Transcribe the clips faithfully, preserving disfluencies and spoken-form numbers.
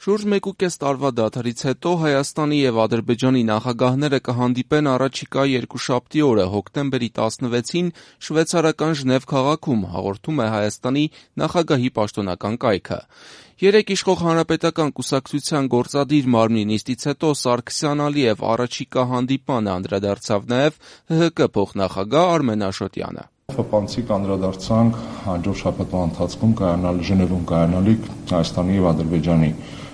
Շուրջ մեկուկես տարվա դադարից հետո Հայաստանի եւ Ադրբեջանի նախագահները կհանդիպեն առաջիկա երկուշաբթի օրը հոկտեմբերի տասնվեցին շվեյցարական Ժնև քաղաքում, հաղորդում է Հայաստանի նախագահի պաշտոնական կայքը։ Երեկ իշխող Հանրապետական կուսակցության գործադիր մարմնի նիստից հետո Սարգսյան Ալիև առաջիկա հանդիպմանը անդրադարձավ նաեւ ՀՀԿ փոխնախագահ Արմեն Աշոտյանը։ Խփանցիկ անդրադարձանք հաջորդ շաբաթվա ընթացքում կայանալ Ժնևում կայանալիք Հայաստանի եւ Ադրբեջանի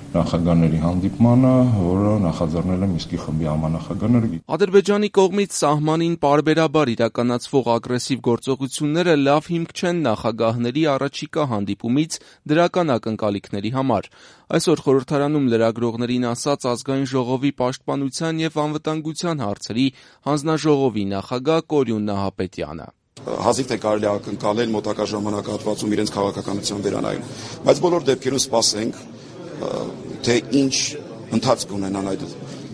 նախագահների հանդիպմանը, որը նախաձեռնել է Մինսկի խմբի համանախագահները։ Ադրբեջանի կողմից սահմանին պարբերաբար իրականացվող ագրեսիվ գործողությունները լավ հիմք չեն նախագահների առաջիկա հանդիպումից դրական ակնկալիքների համար։ Այսօր խորհրդարանում լրագրողներին ասաց Ազգային ժողովի պաշտպանության եւ անվտանգության հարցերի հանձնաժողովի նախագահ Կորյուն Նահապետյանը։ Հազիվ թե կարելի է ակնկալել մոտակա ժամանակահատվածում իրենց քաղաքականության վերանայում, բայց բոլոր դեպքերում սպասենք, թե ինչ ընթացք ունենան այդ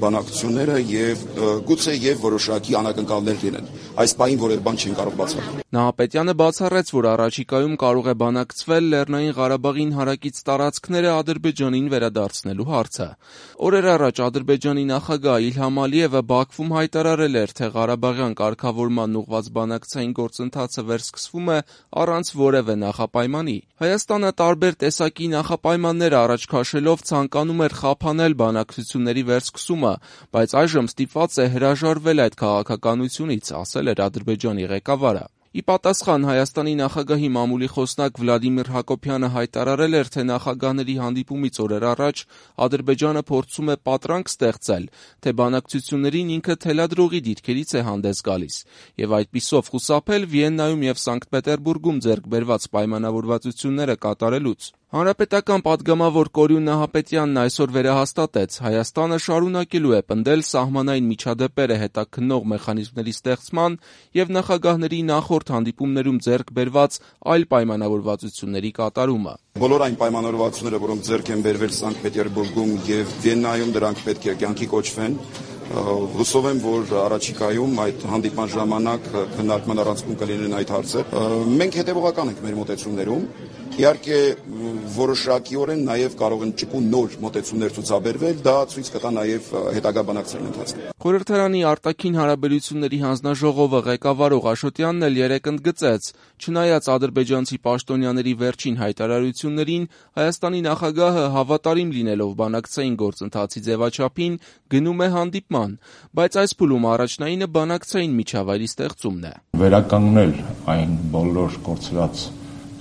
բանակցությունները եւ գուցե եւ որոշակի անակնկալներ լինեն։ Այս պահին որևէ բան չեն կարող բացառել։ Նահապետյանը բացառեց, որ առաջիկայում կարող է բանակցվել Լեռնային Ղարաբաղին հարակից տարածքները Ադրբեջանին վերադարձնելու հարցը։ Օրեր առաջ Ադրբեջանի նախագահ Իլհամ Ալիևը Բաքվում հայտարարել էր, թե Ղարաբաղյան կարգավորման ուղղված բանակցային գործընթացը վերսկսվում է առանց որևէ նախապայմանի։ Հայաստանը տարբեր տեսակի նախապայմաններ առաջ քաշելով ցանկանում էր խափանել բանակցությունների վերսկսումը, բայց այժմ ստիպված է հրաժարվել այդ քաղաքականությունից, ասել էր Ադրբեջանի ղեկավարը։ Ի պատասխան Հայաստանի նախագահի մամուլի խոսնակ Վլադիմիր Հակոբյանը հայտարարել էր, թե նախագահների հանդիպումից օրեր առաջ Ադրբեջանը փորձում է պատրանք ստեղծել, թե բանակցություններին ինքը թելադրողի դիրքերից է հանդես գալիս, եւ այդպիսով խուսափել Վիեննայում եւ Սանկտ Պետերբուրգում ձեռք բերված պայմանավորվածությունները կատարելուց։ Հանրապետական պատգամավոր Կորյուն Նահապետյանն այսօր վերահաստատեց, Հայաստանը շարունակելու է պնդել սահմանային միջադեպերը հետաքննող մեխանիզմների ստեղծման եւ նախագահների նախորդ հանդիպումներում ձեռք բերված այլ պայմանավորվածությունների կատարումը։ Բոլոր այն պայմանավորվածությունները, որոնք ձեռք են բերվել Սանկտ Պետերբուրգում եւ Վիեննայում, դրանք պետք է կյանքի կոչվեն։ Հուսով եմ, որ առաջիկայում այդ հանդիպման ժամանակ քննարկման առանցքում կլինեն այդ հարցեր։ Մենք հետևողական ենք մեր մոտեցումներում։ Իհարկե որոշակիորեն նաև կարող են ճկուն նոր մոտեցումներ ցուցաբերվել, դա ցույց կտա նաև հետագա բանակցային ընթացքում։ Խորհրդարանի արտաքին հարաբերությունների հանձնաժողովը ղեկավարող Աշոտյանն էլ երեկ ընդգծեց, չնայած ադրբեջանցի պաշտոնյաների վերջին հայտարարություններին, Հայաստանի նախագահը հավատարիմ լինելով բանակցային գործընթացի ձևաչափին գնում է հանդիպման, բայց այս փուլում առաջնայինը բանակցային միջավայրի ստեղծումն է։ Վերականգնել այն բոլոր կորցրած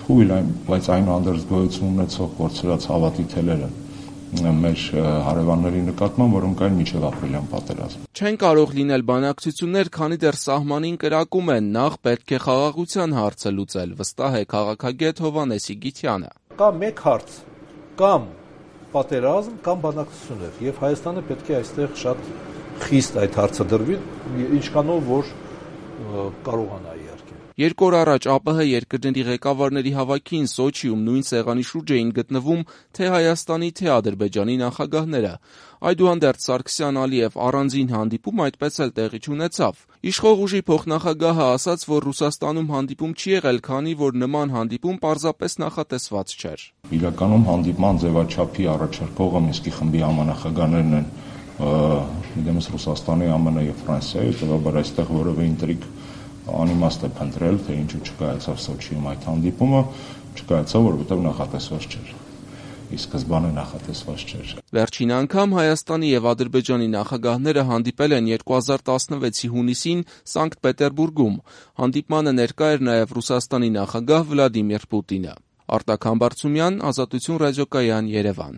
թույլ այն, բայց այնուհանդերձ գոյություն ունեցող կորցրած հավատի թելերը մեր հարևանների նկատմամբ, որոնք այն միջև ապրիլյան պատերազմ։ Չեն կարող լինել բանակցություններ, քանի դեռ սահմանին կրակում են, նախ պետք է խաղաղության հարցը լուծել, վստահ է քաղաքագետ Հովհաննես Իգիթյանը։ Կա մեկ հարց, կամ պատերազմ, կամ բանակցություններ, եւ Հայաստանը պետք է այստեղ շատ խիստ այդ հարցը դրվի, ինչքանով որ կարողանա իհարկե։ Երկու օր առաջ ԱՊՀ երկրների ղեկավարների հավաքին Սոչիում նույն սեղանի շուրջ էին գտնվում թե Հայաստանի, թե Ադրբեջանի նախագահները։ Այդուհանդերձ Սարգսյան Ալիև առանձին հանդիպում այդպես էլ տեղի չունեցավ։ Իշխող ուժի փոխնախագահը ասաց, որ Ռուսաստանում հանդիպում չի եղել, քանի որ նման հանդիպում պարզապես նախատեսված չէր։ Իրականում հանդիպման ձևաչափի առաջարկողը Մինսկի խմբի համանախագահներն են, դեմս Ռուսաստանի, ԱՄՆ եւ Ֆրանսիայի, հետեւաբար այստեղ որևէ ինտրիգ անիմաստ է փնտրել, թե ինչու չկայացավ Սոչիում այդ հանդիպումը, չկայացավ, որովհետև նախատեսված չէր։ Ի սկզբանե նախատեսված չէր։ Վերջին անգամ Հայաստանի եւ Ադրբեջանի նախագահները հանդիպել են երկու հազար տասնվեցի հունիսին Սանկտ Պետերբուրգում։ Հանդիպմանը ներկա էր նաեւ Ռուսաստանի նախագահ Վլադիմիր Պուտինը։ Արտակ Համբարձումյան, Ազատություն ռադիոկայան, Երևան։